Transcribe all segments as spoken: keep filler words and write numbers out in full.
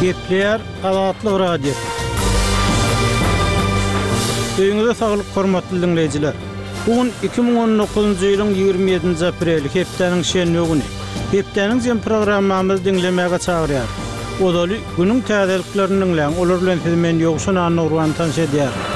Gepleýär Azatlyk Radiosy. Öýüňize saglyk hormatly diňleýjiler. Bu gün iki müň on dokuzynjy ýylyň ýigrimi ýedinji apreli, hepdäniň şenbe güni. Hepdäniň jem programmamyzy diňlemäge çagyrýar. Ozaly günüň täzeliklerini diňläň, olar bilen sizi men Ýowşan Annagurban tanyş edýärin.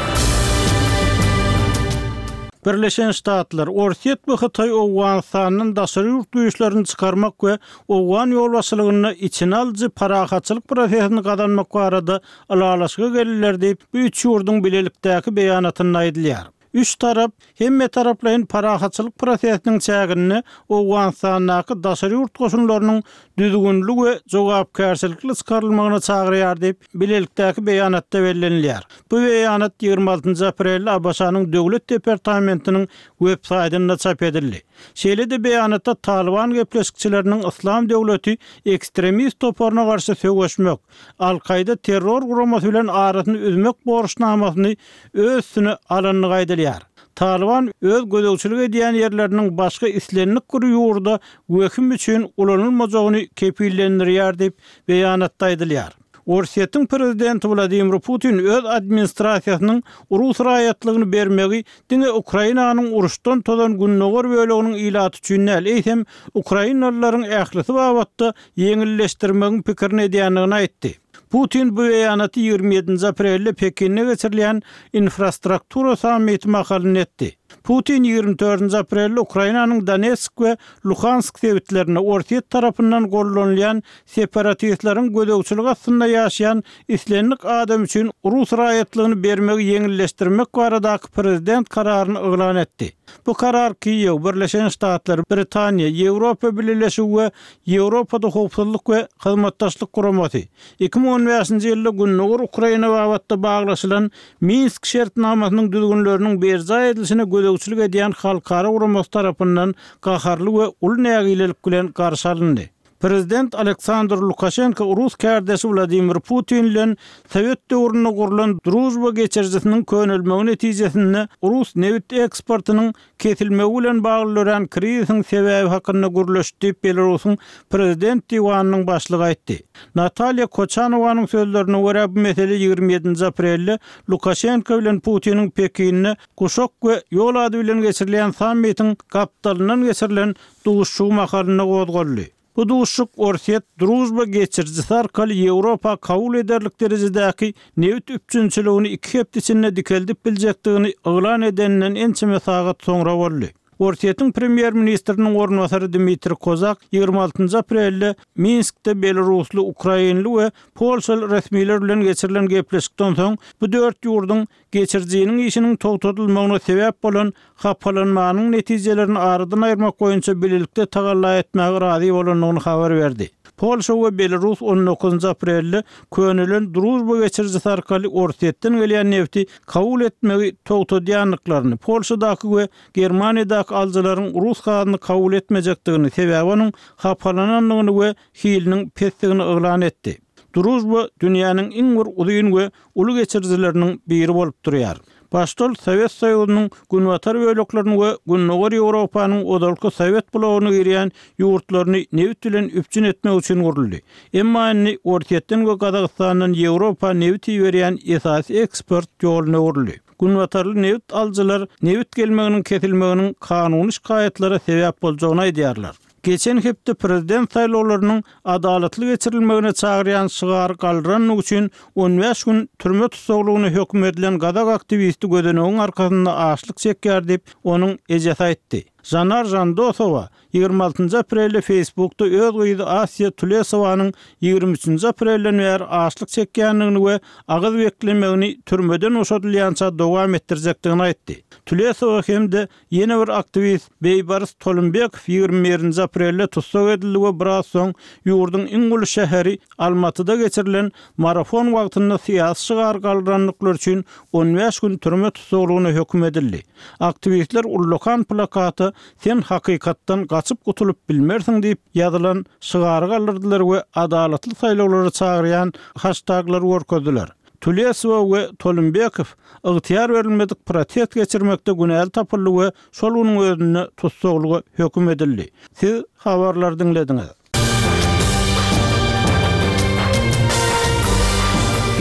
Birleşen Ştatlar, Orsýet we Hytaý Owganystandan daşary ýurt güýçlerini çykarmak we Owgan ýolbaşçylygynda içine alyjy parahatçylyk prosesini gazanmak barada ylalaşyga geldiler diýip, bu üç ýurduň bilelikdäki beýanatynda aýdylýar. Üç tarap hemme taraplaýyn parahatçylyk prosesiniň çäginde Owganystandaky daşary ýurt goşunlarynyň düzgünli we jogapkärçilikli çykarylmagyna çagyrýar diýip, bilelikdäki beýanatda bellenilýär. Bu beýanat ýigrimi altynjy aprelde A B Ş-nyň Döwlet departamentiniň web saýtynda çap edildi. Şeýle-de beýanatda Taliban gepleşikçileriniň Yslam döwleti ekstremist toparyna garşy söweşmek, Al-Kaýda terror guramasy bilen arasyny üzmek borçnamasyny öz üstüne alandygy aýdylýar. Taliban öz gözegçilik edýän ýerleriniň başga islendik bir ýurda wehim üçin ulanylmajagyny kepillendirýär diýip beýanatda aýdylýar. Orsýetiň prezidenti Wladimir Putin öz administrasiýasynyň rus raýatlygyny bermegi diňe Ukrainanyň uruşdan tozan gündogar böleginiň ilaty üçin däl, eýsem ukrainalylaryň ählisi babatda ýeňilleşdirmegiň pikirini edýändigini aýtdy. Putin bu beýanaty ýigrimi ýedinji aprelde Pekinde geçirilýän infrastruktura sammiti mahalynda etdi. Putin ýigrimi dördünji aprelde Ukrainanyň Donetsk we Luhansk sebitlerinde Orsýet tarapyndan gollanylýan separatistleriň gözegçilik astynda ýaşaýan islendik adam üçin rus raýatlygyny bermegi ýeňilleşdirmek baradaky prezident kararyny yglan etdi. Bu karar Kiýew, Birleşen Ştatlar, Britaniýa, Ýewropa Bileleşigi we Ýewropada howpsuzlyk we hyzmatdaşlyk guramasy iki müň on bäşinji ýylda Gündogar Ukraina babatda baglaşylan Minsk şertnamasynyň düzgünleriniň berjaý edilişine gözegçilik edýän halkara guramasy tarapyndan gaharly we uly nägilelik bilen garşy alyndy. Prezident Aleksandr Lukaşenko rus kärdeşi Wladimir Putin bilen Sowet döwründe gurlan Drujba geçirijisiniň könelmegi netijesinde rus nebit eksportynyň kesilmegi bilen bagly dörän krizisiň sebäbi hakynda gürleşdi diýip Belarusyň prezident diwanynyň başlygy aýtdy. Natalýa Koçanowanyň sözlerine görä bu mesele ýigrimi ýedinji aprelde Lukaşenko bilen Putiniň Pekinde Guşak we ýol ady bilen geçirilýän sammitiň gapdalyndan geçirilen duşuşygy mahalynda gozgaldy. Bu duşuşyk Orsýet Drujba geçirijisi arkaly Ýewropa kabul ederlik derejedäki nebit üpjünçiligini iki hepde içinde dikeldip biljekdigini yglan edeninden ençeme sagat soňra boldy. Orsýetiň premýer-ministriniň orunbasary Dmitri Kozak ýigrimi altynjy aprelde Minskde Belarusly, Ukrainli we Polşaly resmiler bilen geçirilen gepleşikden soň bu dört ýurduň geçirijiniň işiniň togtadylmagyna sebäp bolan hapalanmanyň netijelerini aradan aýyrmak boýunça bilelikde tagalla etmäge razy bolandygyny habar berdi. Polşa we Belarus on dokuzynjy aprelde könelen Drujba geçirijisi arkaly Orsýetden gelýän nefti kabul etmegi togtadýandyklaryny, Polşadaky we Germaniýadaky alyjylaryň rus gazyny kabul etmejekdigini, sebäbi onuň hapalanandygyny we hiliniň pesdigini yglan etdi. Drujba dünýäniň iň bir uzyn we uly geçirijileriniň biri bolup durýar. Başda Sowet Soýuzynyň günbatar böleklerini we Gündogar Ýewropanyň ozalky Sowet blogyna girýän ýurtlaryny nebit bilen üpjün etmek üçin guruldy. Emma indi Orsýetden we Gazagystandan Ýewropa nebit iberýän esasy eksport ýoluna öwrüldi. Günbatarly nebit alyjylar nebit gelmeginiň kesilmeginiň kanuny şikaýatlara sebäp boljagyny aýdýarlar. Geçen hepde prezident saýlawlarynyň adalatly geçirilmegine çagyrýan şygar galdyranlygy üçin on bäş gün türme tussaglygyna höküm edilen gazak aktiwisti gözenegiň arkasynda açlyk çekýär diýip, onuň ejesi aýtdy. Janar Jandosowa ýigrimi altynjy aprelde Facebookda öz gyzy Asiýa Tulesowanyň ýigrimi üçünji aprelden bäri açlyk çekýändigini we agyz beklemegini türmeden boşadylýança dowam etdirjekdigini aýtdy. Tulesowa hem-de ýene bir aktiwist Beýbaris Tolumbekow ýigrimi birinji aprelde tussag edildi we biraz soň ýurduň iň uly şäheri Almatyda geçirilen marafon wagtynda syýasy şygar galdyrandyklary üçin on bäş gün türme tussaglygyna höküm edildi. Aktiwistler ullakan plakata Sen hakykatdan gaçyp gutulyp bilmersiň diýip ýazylan şygary galdyrdylar we adalatly saýlawlara çagyrýan haştaglar görkezdiler. Tulesowa we Tolumbekow ygtyýar berilmedik protest geçirmekde günäli tapyldy we şol günüň özünde tussaglyga höküm edildi. Siz habarlary diňlediňiz.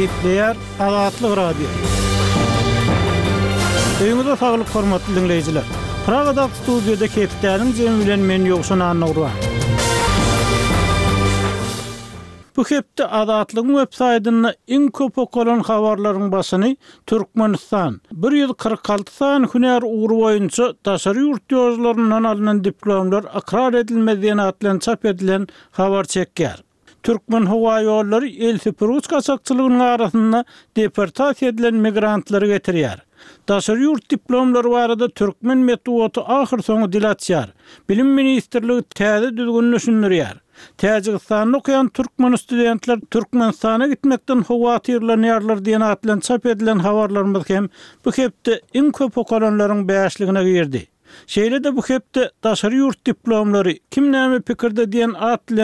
Gepleýär Azatlyk Radiosy. Öýüňize saglyk hormatly diňleýjiler. Pragadaky studiýada hepdäniň jemi bilen men Ýowşan Annagurban. Bu hepde Azatlygyň web saýtynda iň köp okalan habarlaryň başyny Türkmenistan, bir ýüz kyrk alty sany hünär ugry boýunça daşary ýurt ýollaryndan alnan diplomlar ykrar edilmez diýen at bilen çap edilen habar çekýär. Türkmenhowaýollary el süpürgiç gaçakçylygynyň arasynda deportasiýa edilen migrantlary getirýär. Daşary ýurt diplomlary barada türkmen metbugaty ahyrsoňy dil açýar. Bilim ministrligi täze düzgüni düşündirýär. Täjigistanda okaýan türkmen studentler Türkmenistana gitmekden howatyrlanýarlar diýen at bilen çap edilen habarlarymyz hem bu hepde iň köp okalanlaryň bäşligine girdi. Şeýle-de bu hepde daşary ýurt diplomlary kim näme pikirde diýen at bilen